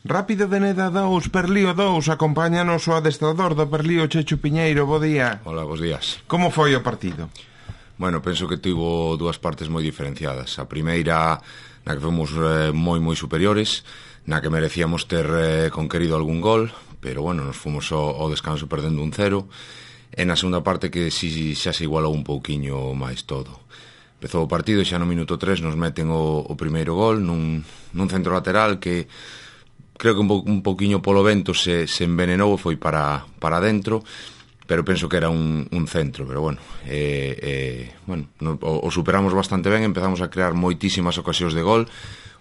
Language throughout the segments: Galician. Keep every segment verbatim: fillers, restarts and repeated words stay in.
Rápido de Neda dous, Perlío dous, acompáñanos o adestrador do Perlío, Chechu Piñeiro, bo día. Hola, bos días. Como foi o partido? Bueno, penso que tivo dúas partes moi diferenciadas. A primeira, na que fomos eh, moi moi superiores, na que merecíamos ter eh, conquerido algún gol, pero bueno, nos fomos ao, ao descanso perdendo un cero, e na segunda parte que si xa se igualou un pouquiño máis todo. Empezou o partido e xa no minuto tres nos meten o, o primeiro gol nun, nun centro lateral que creo que un, po, un pouquiño polo vento se, se envenenou e foi para, para dentro, pero penso que era un, un centro, pero bueno, eh, eh, bueno no, o, o superamos bastante ben, empezamos a crear moitísimas ocasións de gol,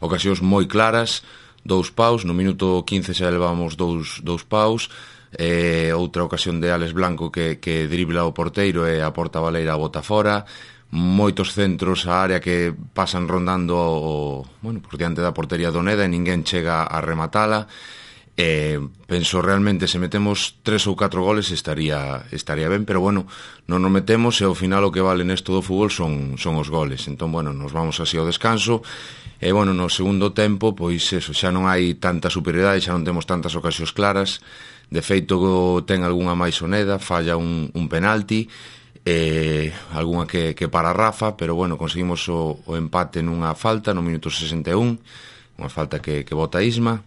ocasións moi claras, dous paus, no minuto quince xa levamos dous, dous paus, eh, outra ocasión de Alex Blanco que, que dribla o porteiro e a porta baleira a bota fora, moitos centros á área que pasan rondando o, bueno, por diante da portería do Neda e ninguén chega a rematala. Eh, penso realmente se metemos tres ou catro goles estaría estaría ben, pero bueno, non nos metemos e ao final o que vale nesto do fútbol son, son os goles. Entón, bueno, nos vamos así ao descanso e, bueno, no segundo tempo, pois eso, xa non hai tanta superioridade, xa non temos tantas ocasións claras. De feito, ten algunha máis o Neda, falla un, un penalti, eh, algunha que, que para Rafa, pero bueno, conseguimos o, o empate nunha falta no minuto sesenta e un, unha falta que, que bota Isma,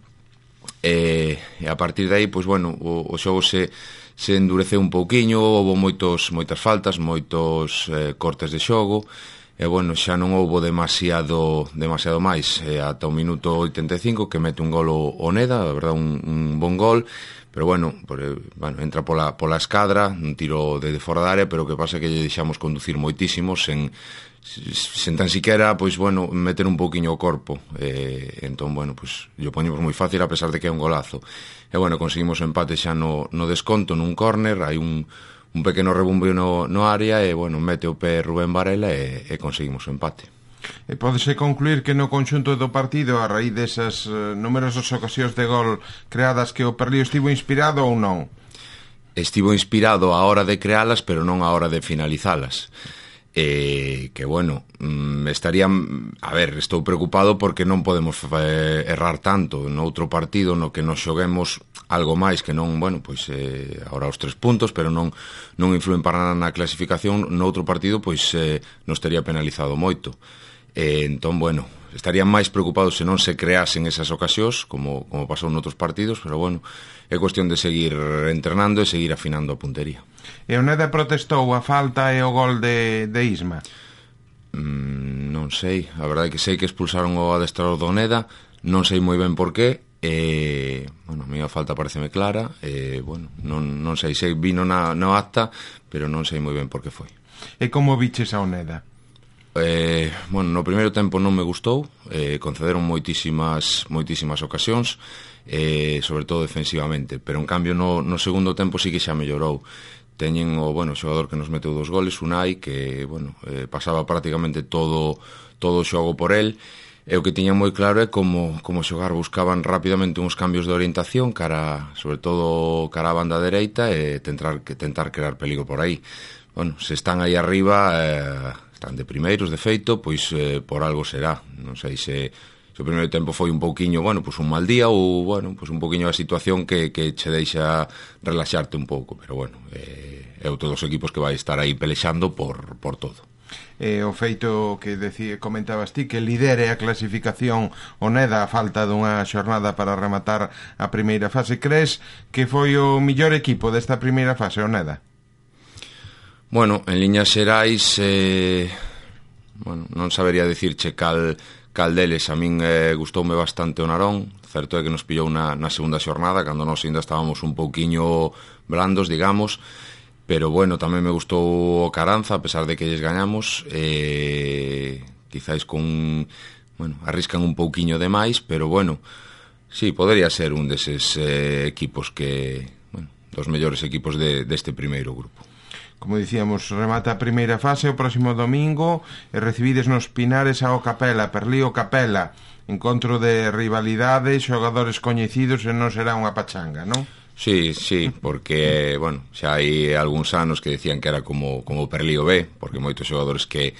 e, e a partir de aí, pois bueno, o, o xogo se, se endureceu un pouquiño, houve moitos, moitas faltas, moitos eh, cortes de xogo, e bueno, xa non houve demasiado demasiado máis, e ata o minuto oitenta e cinco que mete un gol o, o Neda, a verdade un, un bon gol, pero bueno, por, bueno, entra pola, pola escadra, un tiro de, de fora da área, pero o que pasa é que lle deixamos conducir moitísimo, sen, sen tan siquiera, pois, bueno, meter un pouquiño o corpo. Eh, entón, bueno, pois, lle poñemos moi fácil a pesar de que é un golazo. E, bueno, conseguimos o empate xa no, no desconto, nun córner, hai un, un pequeno rebumbio no, no área, e, bueno, mete o pé Rubén Varela e, e conseguimos o empate. E pódese concluir que no conxunto do partido, a raíz desas uh, numerosas ocasións de gol creadas, que o Perlío estivo inspirado ou non? Estivo inspirado a hora de crealas, pero non a hora de finalizalas. Eh, que, bueno, mm, estaría... A ver, estou preocupado porque non podemos eh, errar tanto en outro partido no que nos xoguemos algo máis que non, bueno, pois eh, ahora os tres puntos, pero non non influen para nada na clasificación. No outro partido, pois eh, nos tería penalizado moito. Eh, entón, bueno, estarían máis preocupados se non se creasen esas ocasións, como, como pasou noutros partidos, pero bueno, é cuestión de seguir entrenando e seguir afinando a puntería. E o Neda protestou a falta e o gol de, de Isma? Mm, non sei, a verdade é que sei que expulsaron o adestrador do Neda, non sei moi ben por qué, e, bueno, a mí a falta pareceme clara, e, bueno, non, non sei, sei vino na, na acta, pero non sei moi ben por que foi. E como viches ao Neda? Eh, bueno, no primeiro tempo non me gustou, eh, concederon moitísimas moitísimas ocasións, eh, sobre todo defensivamente, pero en cambio no, no segundo tempo sí que xa mellorou. Teñen o, bueno, xogador que nos meteu dos goles, Unai, que, bueno, eh, pasaba prácticamente todo todo o xogo por el, e o que tiñan moi claro é como, como xogar, buscaban rapidamente uns cambios de orientación cara, sobre todo cara a banda dereita, e tentar, tentar crear peligro por aí. Bueno, se están aí arriba, eh, están de primeiros, de feito, pois eh, por algo será. Non sei se, se o primeiro tempo foi un pouquiño, bueno, pois un mal día, ou, bueno, pois un pouquiño a situación que, que che deixa relaxarte un pouco, pero bueno, eh, é outro dos equipos que vai estar aí pelexando por, por todo. E o feito que decía, comentabas ti, que lidere a clasificación o Neda a falta dunha xornada para rematar a primeira fase, crees que foi o millor equipo desta primeira fase, o Neda? Bueno, en liñas xerais, eh, bueno, non sabería dicirche cal, cal deles. A min eh, gustoume bastante o Narón. Certo é que nos pillou na, na segunda xornada, cando nós ainda estábamos un pouquiño blandos, digamos, pero bueno, tamén me gustou o Caranza, a pesar de que lles gañamos, eh, quizáis con, bueno, arriscan un pouquiño de máis, pero bueno, sí, podería ser un deses eh, equipos que, bueno, dos mellores equipos de, deste primeiro grupo. Como dicíamos, remata a primeira fase o próximo domingo e recibides nos Pinares ao Capela, Perlío Capela, encontro de rivalidade, xogadores coñecidos, e non será unha pachanga, non? Sí, sí, porque, bueno, xa hai algúns anos que decían que era como, como o Perlío B, porque moitos xogadores que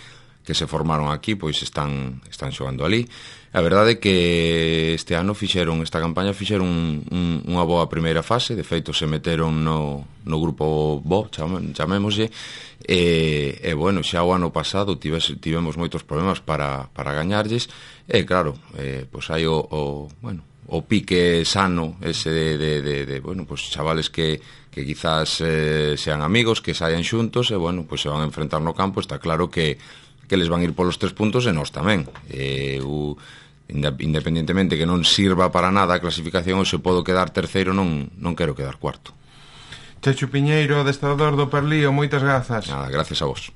que se formaron aquí, pois están están xogando ali. A verdade é que este ano fixeron, esta campaña fixeron un, un, unha boa primeira fase, de feito se meteron no, no grupo bo, chamémoslle, e, e bueno, xa o ano pasado tives, tivemos moitos problemas para, para gañarlles, e claro, eh, pois hai o, o, bueno, o pique sano ese de, de, de, de bueno, pois chavales que, que quizás eh, sean amigos, que saian xuntos, e bueno, pois se van a enfrentar no campo, está claro que que les van ir polos tres puntos e nós tamén. E, o, independentemente que non sirva para nada a clasificación, ou se podo quedar terceiro, non, non quero quedar cuarto. Chechu Piñeiro, adestrador do Perlío, moitas grazas. Nada, gracias a vos.